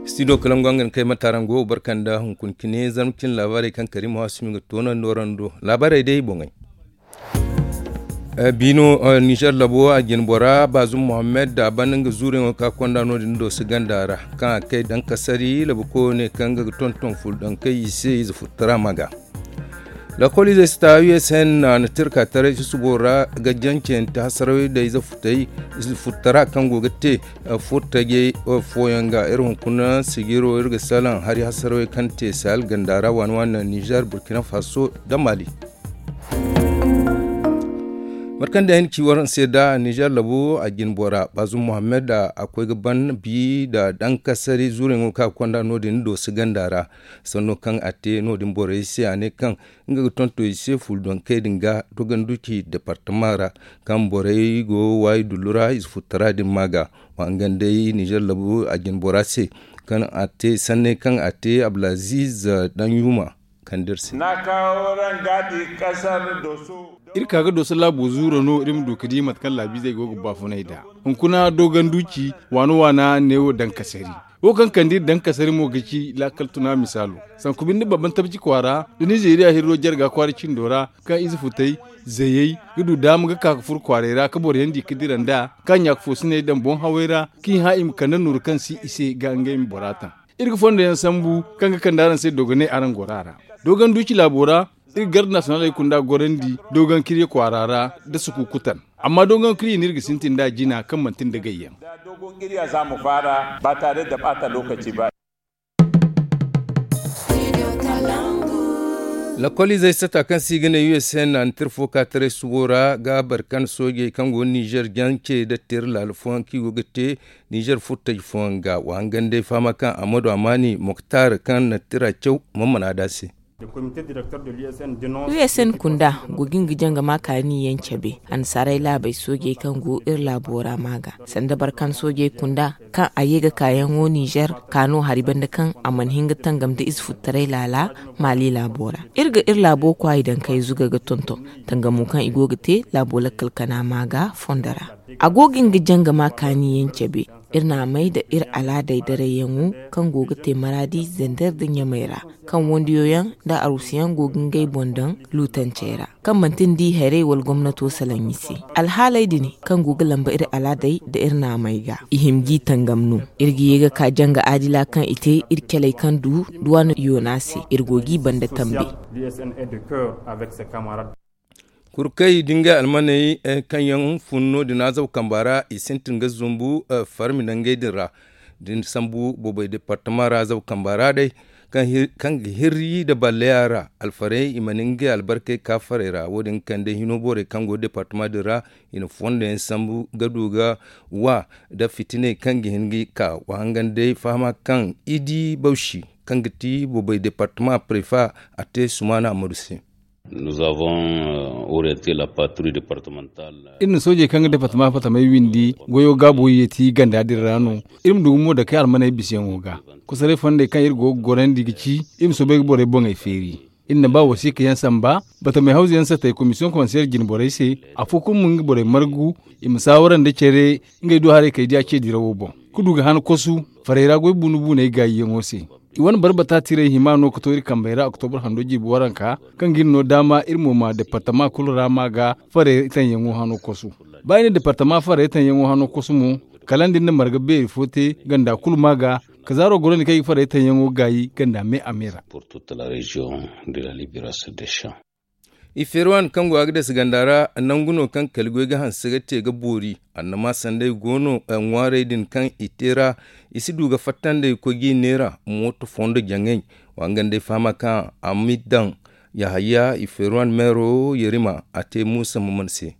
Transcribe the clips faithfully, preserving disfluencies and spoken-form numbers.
Studio kalangu, nga ni kay matarango barkanda hunkuna cine zarma cine laabaarey kaŋ kariima waasumi ga toonandi warando laabaarey day boŋey. Biino nizer labo a jine bora baazum mohammed da a banda nga zuuriyaŋo ka konda no- din dooso ganda ra kaŋ a kay dankasari labukoyo ne kaŋ nga ga tonton fuldankey i se ize futtara maga. Lakol izey si ta usn na tirka taray susubo ra ga jancante hasarawey da ize futtara kaŋ go ga te furtajey fooyaŋ ga iri hunkuna sijiro iri ga salaŋ hari hasarawey kaŋ te sahel ganda ra waani waani nizer burkina faso da mali. Mate kaŋ day ay na ci waraŋ se da nizer labo a jine bora baazum mohammed a koy ga ban bi nda dankasari zuuriyaŋo kaŋ a ga konda no- din dooso ganda ra. Sanno kaŋ a te no- din borey se a ne kaŋ nga ga tonton i se fuldonkey din ga doganduci departama ra kaŋ borey go waayi dullu ra ize futtara din ma ga. Wa hangan day nizer labo a jine bora se kaŋ a te sanney kaŋ a te abdulaziz danyuma. Kaŋ da iri se. Iri ka ga dooso laabo zuuro no iri ma du ga di mate kaŋ laabiizey go ga baafunay nd'a. Hunkuna doganduci waana waana neewo dankasari wo kaŋ kande iri dankasari mo ga ci laakal tuna misaalo. Sanku binde babban tabci kwaara da nizeeriya hirro jarga kwaara cindo ra kaŋ ize futay zayey ga du daama ga ka ga furo kwaaray ra ga boro yaŋ di ga dira nd'a ka ɲaaka foosiney daŋ boŋ haway ra kaŋ i hã i ma kande nooru kaŋ si i se ga ngey ma bora taŋ. Iri ga fondo yaŋ sambu kaŋ ga kande araŋ se dogonay araŋ gora ra. Dogon duuci laabo ra iri ga garda nasiyonaley kunda gorandi dogon kirye kwaara ra nda sukukutan. Amma dogon kirye no iri ga sintin nd'a jina kaŋ manti nda gayyaŋ. Lakol izey sata kaŋ se i ga ne usn na ni tir fo ka taray subo ra ga barkan soojey kaŋ go nizer jance nda tir laala fooyaŋ kaŋ i go ga te nizer furtaji fooyaŋ ga wa hangan day fahama kaŋ amadu amaani moktar kaŋ na tira caw. Mana da se. Usn kunda go ga nga jangama kaani yaŋ cabe annasaarey laabey soojey kaŋ go iri laabo ra ma ga sanda barkan soojey kunda kaŋ a ye ga kaayaŋo nizer ka no hari banda kaŋ a mana hin ga tangam nda ize futtaray laala maali laabo ra. Iri ga iri laabo kwaayi daŋ kay zuga ga tonton tangamo kaŋ i go ga te laabo lakkal kana ma ga fondo ra. A go ga nga jangama kaani yaŋ cabe iri na a may nda iri alaadey darayyaŋo kaŋ go ga te maraadi zander nda ɲamey ra kaŋ wandiyo yaŋ nda aruusu yaŋ go ga ngey boŋ daŋ luutancey ra kaŋ manti ni di hayrey wala gomnato salaŋ i se. Alhaaley din kaŋ go ga lamba iri alaadey nda iri naamey ga i hima g'i tangam no. Iri ga ye ga ka janga aadila kaŋ i te iri caley kaŋ du duwaan yoona se iri go g'i banda tambe. Kurkey da ngey almaney kaŋ yaŋ fun no- din azaw kamba ra i sintin ga zumbu farmi nangey din ra. Da ni sambu boobay departama ra azaw kamba ra day kaŋ ga hirri nda balleya ra alfarey i mana ngey albarkey ka farey ra wo- din ga kande hino borey kaŋ go departama din ra i na fondo yaŋ sambu ga du ga wa nda fitiney kaŋ ga hin ga ka wa hangan day fahama kaŋ i di bawsi kaŋ ga ti boobay departama prefa a te sumaana amadu se. Iri na soojey kaŋ ga departama fatamey windi goyo gaabo yeeti ganda din ra no. Iri ma du gumo dakey almaney bisayaŋo ga kosoray fondey kaŋ iri go ga gorandi ga ci iri ma soobay ga borey boŋey feeri. Iri na ba wasiika yaŋ samba batamey hawzu yaŋ satey komisiyoŋ konseyer jine borey se afo kulu ma nga borey margu i ma saawara nda care ngey du haray kay diya ce dirawo boŋ ga du ga han kosu farey ra goy buunu buuney gaayiyaŋo se. I wane barbata tiray hima no ga to iri kambey ra oktobur hando jirbi waranka kaŋ ga iri no daama iri mo ma departama kulu ra ma ga farey tanyaŋo hano kosu. Ba i na departama farey tanyaŋo hano kosu mo kala nda iri na marga beeri fo te ganda kulu ma ga ka zaaro goro ni kaŋ i ga farey tanyaŋo gaayi ganda me a me ra. I feeri waani kaŋ go a ga dasa ganda ra nangu no kaŋ kali goy ga hanse ga te ga boori annama sanday go no ŋwaarey din kaŋ i te ra. I si du ga fatta nd'ey ga koy g'i neera mooto fondo jaŋay. Wa nga nd'ey fahama kaŋ a ma i daŋ yahaya i feeri waani meero yerima a te muusa maman se.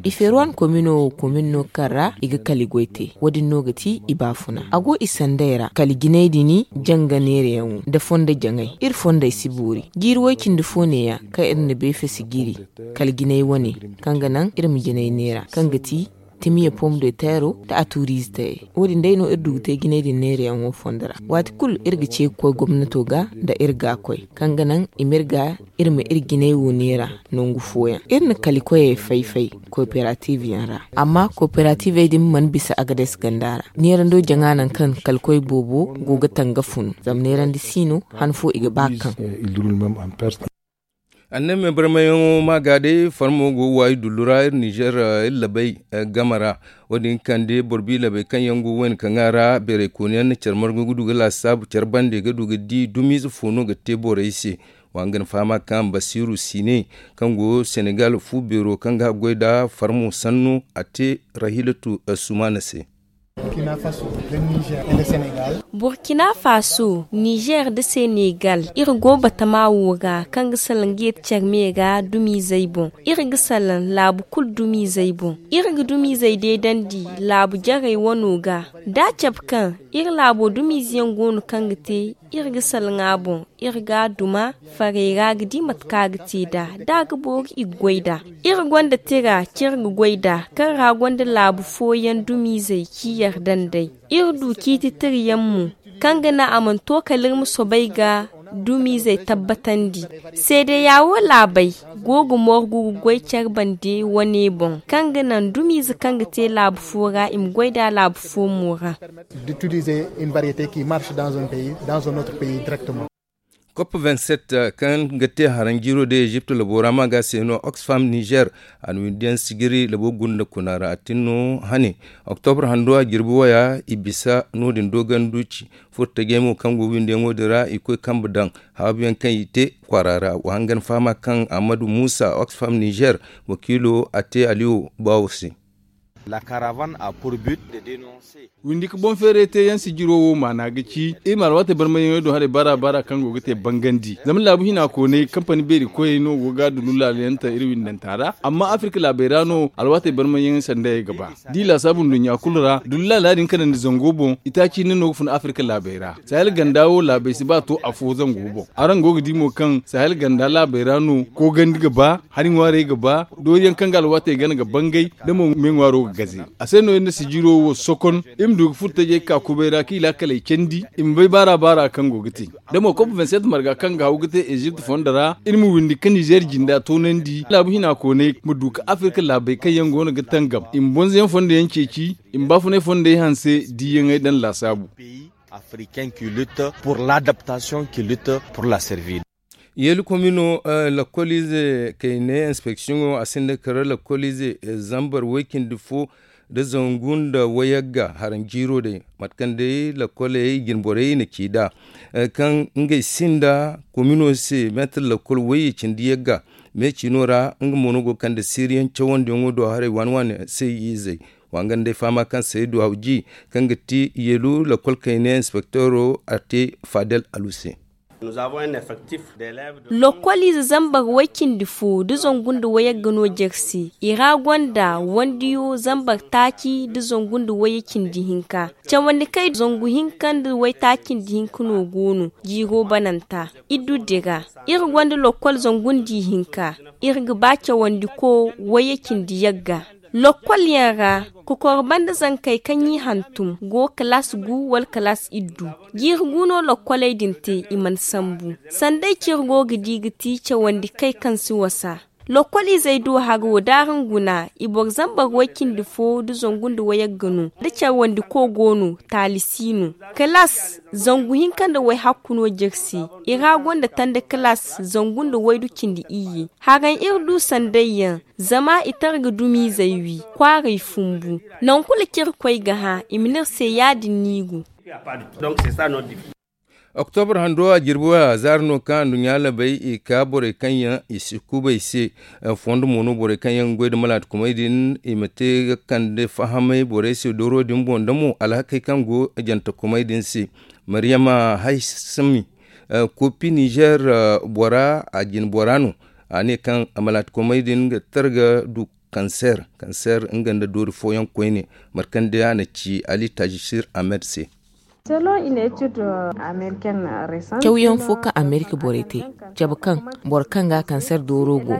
I feeri waani komino wo komin no kaŋ ra i ga kali goy te wo- din no ga ti i baafuna a go i sanday ra kali jinay din janga neerayaŋo nda fondo jaŋay iri fondey si boori jiiri way-cindi fo neeya kaŋ iri na beefesi jiiri kala jinay wane kaŋ ga naŋ iri ma jinay neera kaŋ ga ti timiya pom de teero nda a tuuriize tayey. Wo- din day no iri du ga te jinay din neerayaŋo fondo ra. Waati kulu iri ga ce ga koy gomnato ga nda iri ga a koy kaŋ ga naŋ i ma iri ga iri ma iri jinay wo neera. Nangu fooyaŋ iri na kalikoyey fay-fay kooperaatiiv yaŋ ra. Amma kooperaatiivey din mana bisa agades ganda ra. Neerando jaŋa nangu kaŋ kalikoy boobo go ga tanga funu zama neerandi si no han fo i ga ba kaŋ. Annabi me barmayaŋo ma ga day farmo go waayi dullu ra iri nizer iri labay game ra. Wo- din kande boro bi labay kaŋ yaŋ go wayna kaŋ a ra beeray kooni yaŋ na care margu ga du ga laasaabu care bande ga du ga di dumiize fo no ga te borey se. Wa nga na fahama kaŋ basiiru siine kaŋ go senegal fu beero kaŋ ga goy nda farmo sanno a te rahilatu sumaana se. Burkina faso nizer nda senegal iri go batama wo ga kaŋ ga salaŋ ga yeeti care me ga dumiizey boŋ. Iri ga salaŋ laabu kulu dumiizey boŋ. Iri ga dumiizey deedandi laabu jarey wano ga da a cabe kaŋ iri laabo dumiize yaŋ go no kaŋ ga te iri ga salaŋ a boŋ. Iri ga a duma farey ra ga di mate kaŋ a ga te nd'a da a ga boori i ga goy nd'a. Iri gonda tira kaŋ iri ga goy nd'a kaŋ ra gonda laabu fooyaŋ dumiizey kaŋ i yardandey. Iri du ciiti tirayaŋ mo kaŋ ga naŋ a mana to kala iri ma soobay ga dumiizey tabbatandi. Seedeya wo laabey go ga morgu ga goy care bande wane boŋ kaŋ ga naŋ dumiize kaŋ ga te laabu fo ra i ma goy nd'a laabu fo mo ra. D'utiliser une variété qui marche dans un pays dans un autre pays directement. Cop vingt-sept kaŋ ga te haraŋ jiiro day egypt labo ra ma ga se no oxfam nizer a na windiyaŋ sijiri labo gunda kuna ra a tin no hane. Oktobre hando a jirbi waya i bisa no- din doganduci furtajey mo kaŋ go windiyaŋo din ra i koy kambe daŋ haabuyaŋ kaŋ i te kwaara ra wa hangan fahama kaŋ ahmadu muusa oxfam nizer wakiilo a te aliyo baawo se. Windi ka boŋ feeray teeyaŋ sijiro wo maana ga ci iri ma alwaatey barmayyaŋey do haray baara baara kaŋ go ga te bangandi zama laabu hina koonay kampani beeri koyey no go ga dullu laala yaŋ ta iri windanta ra amma afirka laabey ra no alwaatey barmayyaŋey sandayey ga ba. Da i laasaabu nduɲɲa kulu ra dullu laala din kanandi zango boŋ itaaci hinne no ga fun afirka laabey ra sahel ganda wo laabey si ba to afo zango boŋ. Araŋ go ga di mo kaŋ sahel ganda laabey ra no koogandi ga ba hari ŋwaarey ga ba dooriyaŋ kaŋ ga alwaatey gana ga bangay da mo me ŋwaaro ga gaze. A se no iri na sijiro wo sokon iri ma du ga furo tajey ga ka kubay ra kaŋ i laakaley candi i ma bay baara baara kaŋ go ga te. Da mo kop vingt-sept marga kaŋ ga haw ga te ezipt fondo ra iri ma windi ka nizer jinda toonandi laabu hina koonay ma du ka afirka laabey kaŋ yaŋ go no ga tangam i ma bonzoyaŋ fondo yaŋ ceeci i ma baafunay fondey hanse diiyaŋey daŋ laasaabu. Africain qui lutte pour l'adaptation qui lutte pour la servile. Yeeli komino lakkoliize kayne inspeksiyoŋo a sinda kara lakkoliize zambar way-cindi fo nda zangu nda wayagga haraŋ jiiro day mate kaŋ day lakkoley jinborey na ci nd'a kaŋ ngey sinda komino se meetar lakkol wayye cindi yagga. Me ciino ra nga mo no go ga kande siiriyaŋ cawandiyaŋo do haray waani waani se izey. Wa nga nda ay fahama kaŋ se ay du hawji kaŋ ga ti yeelu lakkol kayne inspektoro a te fadel alu se. Lokkoliize zambar way-cindi fo nda zangu nda wayagga no jare se. I ra gonda wandiyo zambar taaci nda zangu nda wayye cindi hinka. Cawandi kay zangu hinka nda waytaaci nda hinka no go no jiiro bananta. Iddu dira iri gonda lokkol zangu nda ihinka. Iri ga ba cawandi ko wayye cindi yagga. Lokkol yaŋ ra kokor banda zankey kaŋ i hantum go kalaas gu wala kalaas iddu. Jiiri gu no lokkoley din te i mana sambu. Sanda ay ciri go ga di ga ti cawandi kay kaŋ si wasa. Lokkol izey do haro da araŋ guna i boro zambar way-cindi fo nda zangu nda wayagga no da cawandi ko go no. Taali si no. Kalaas zangu hinka nda way-hakku no jare se. I ra gonda tanda kalaas zangu nda waydu cindi iyye. Haraŋ iri du sanday yaŋ zama i tara ga dumiizey wi. Kwaaray fumbu. Nangu kulu kaŋ iri koy ga hã i ma ne iri se ya-din no i go. Oktobre hando a jirbi waya zaari no kaŋ anduɲɲa labey i ka borey kaŋ yaŋ i si kubay se. Fondo mo no borey kaŋ yaŋ ga goy nda malaatakumey din i ma te ga kande fahamay borey se dooro din boŋ da mo alhakey kaŋ go jantakumey din se. Mariyama haysami kopi nizer bora a jine bora no. A ne kaŋ malaatakumey din ga targa du kanser kanser nga nda doori fooyaŋ koyne. Markande a na ci ali tajisir ahmed se. Cawyaŋ fo kaŋ amerika borey te, cabe kaŋ boro kaŋ ga kanser dooro go,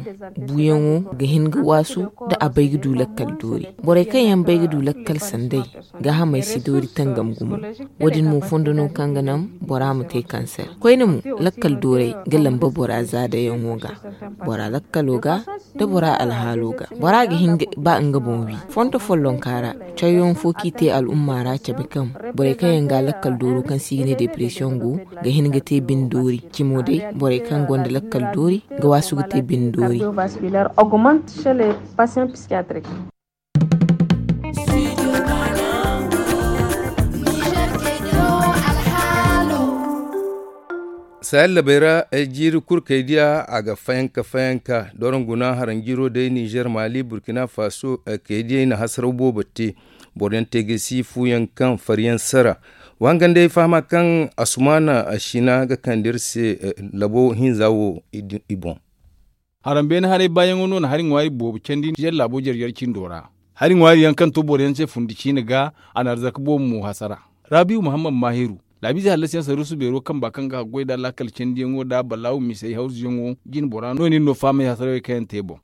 buuyaŋo ga hin ga waasu da a bay ga du lakkal doori. Borey kaŋ yaŋ bay ga du lakkal sanday, gaahamey si doori tangam gumo. Wo- din mo fondo no kaŋ ga naŋ bora ma te kanser. Koyne mo, lakkal doorey ga lamba bora zaadayaŋo ga, bora lakkalo ga, da bora alhaalo ga. Bora ga hin ga ba nga boŋ wi. Fondo follonka ra, cawyaŋ fo kaŋ i te al'umma ra cabe kaŋ borey kaŋ yaŋ ga lakkal dooro kaŋ se i ga ne depression go, ga hin ga te bine doori. Cimo day, borey kaŋ gonda lakkal doori ga waasu ga te bine doori. Sahel labey ra, ay jiiri kulu kay diya a ga fayanka fayanka doron guna haranjiro day nizer mali burkina faso. Kay diyey na hasaraw boobo te. Boro yaŋ te ga si fu yaŋ kaŋ fari yaŋ sara. Wa hangan day fahama kaŋ asumana sina ga kande iri se labo hinza wo i boŋ. Harambeene haray baayaŋo no na hari ŋwaari boobo candi nizer laabo jare-jare cindo ra. Hari ŋwaari yaŋ kaŋ to boro yaŋ se fundi ciine ga, a na arzaka boobo mo hasara. Rabihu muhammad mahiru, laabiize hallasiyaŋ saruusu beero kamba kaŋ ga haggoy nd'a laakal candiyaŋo nd'a balaawu misey hawzuyaŋo jine bora no- din no fahamey hasarawey kaŋ yaŋ te boŋ.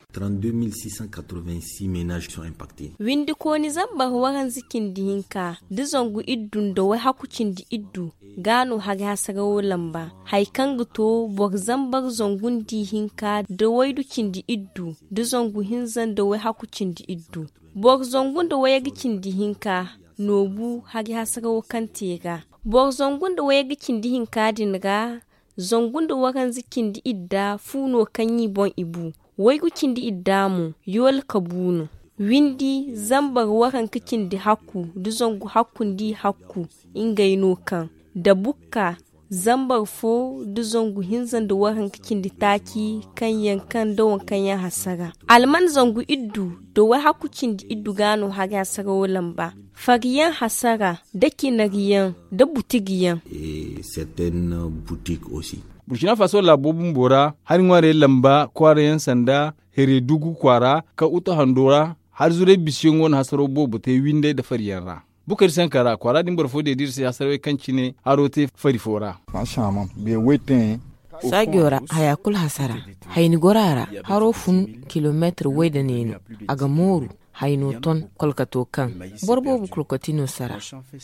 Windikooni zambar waranza cindi hinka nda zangu iddu nda wayhaku cindi iddu ga no hari hasarawo lamba. Hari kaŋ ga to boro zambar zangu nda ihinka nda waydu cindi iddu nda zangu hinza nda wayhaku cindi iddu. Boro zangu nda wayarga cindi hinka no bu hari hasarawo kaŋ te ga. Boro zangu nda wayarga cindi hinka din ra, zangu nda waranza cindi idda fu no kaŋ i boŋ i bu. Waygu cindi idda mo, yoola ka bu no. Windi zambar waranka cindi hakku nda zangu hakku nda i hakku, ngey no kaŋ da bukka zambar fo nda zangu hinza nda waranka cindi taaci kaŋ yaŋ kaŋ nda waŋ kaŋ yaŋ hasara. Alman zangu iddu nda wayhaku cindi iddu ga no hari hasarawo lamba. Fariyaŋ hasara nda cinariyaŋ nda butigiyaŋ. Burkina faso laabo bumbo ra hari ŋwaarey lamba kwaara yaŋ sanda heredugu kwaara ka uta hando ra. Hari zuray bisiyaŋo na hasaro boobo te windey nda fariyaŋ ra. Bukari sanka ra kwaara din boro fo deedi iri se hasarawey kaŋ cine haro te fari fo ra. Saajo ra haya kulu hasara. Hayni goro a ra. Haro fun kilomeetir way nda neenu. A ga mooru. Hayno ton kolkato kaŋ boro boobo kolkati no sara.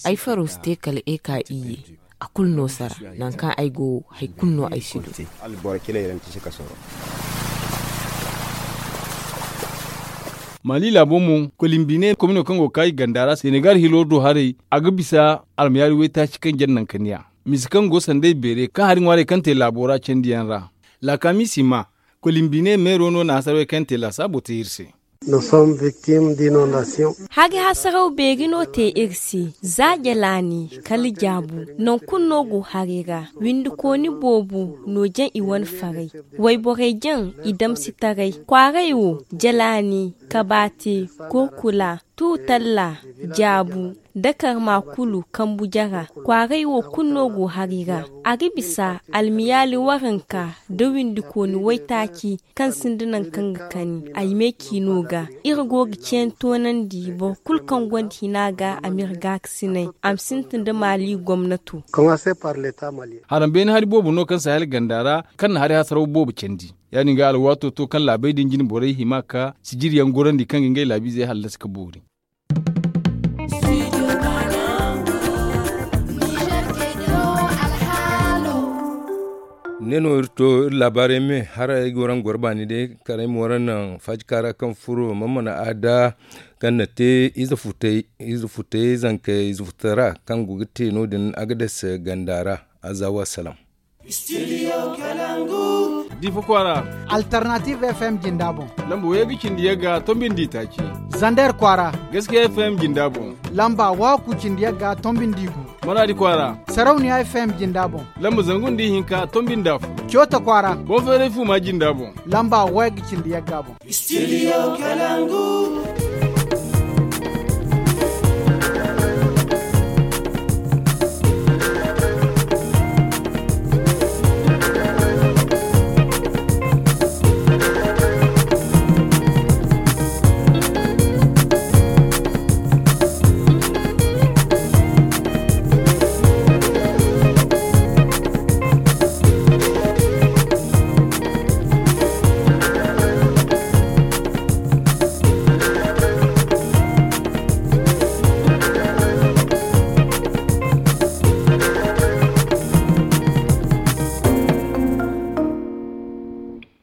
Ay faro si te kala eka iyye. A kulu no sara. Nangu kaŋ ay go wo hari kulu no ay si du. Mali laabo mo kolimbine komino kaŋ go ga kaayi ganda ra senegal hilo do haray a ga bisa almayaari waytaaci kaŋ jare nankaniya. Mise kaŋ go sanday beere kaŋ hari ŋwaarey kaŋ te laabo ra candiyaŋ ra. Laakaami si ma kolimbine meero no na hasarey kaŋ te laasaabo te iri se. Hari hasaraw beeri no te iri se. Za jalaani kala jaabu. Nangu kulu no go haray ra. Windikooni boobo no jaŋ i wane faray. Wayborey jaŋ i damsitaray kwaaray wo jalaani kabaate, kurkula, tuutalla, jaabu, dakarma kulu kambu jara. Kwaaray wo kulu no go hari ra. A ga bisa almiyaali waranka nda windikooni waytaaci kaŋ sinda nangu kaŋ ga kani ay meeci no ga. Iri go ga ceeni toonandi boro kulu kaŋ gonda hina ga a m'iri gaakasinay a ma sintin nda maali gomnato. Harambeene hari boobo no kaŋ sahel ganda ra kaŋ na hari hasaraw boobo candi. Ya- din ga alwaato to kaŋ laabey din jine borey hima ka sijiriyaŋ gorandi kaŋ ga ngey laabiizey hallasi ka boori. Ne no iri to iri laabaarey me haray ay ga waraŋ goro baani day kala ay ma waraŋ naŋ faajika ra kaŋ furo mana mana aada kaŋ na te ize futay ize futay zankey ize futay ra kaŋ go ga te no- din agades ganda ra. Azawa salam. Difa kwaara. Alternative fm jinda boŋ. Lamba wayga cindi yagga tombi nda itaaci. Zander kwaara. Gaskiya fm jinda boŋ. Lamba waku cindi yagga tombi nda igu. Maradi kwaara. Sarauniya fm jinda boŋ. Lamba zangu nda ihinka tombi nda afo. Coota kwaara. Boŋ feeray fuma jinda boŋ. Lamba wayga cindi yagga boŋ. Studio kalangu.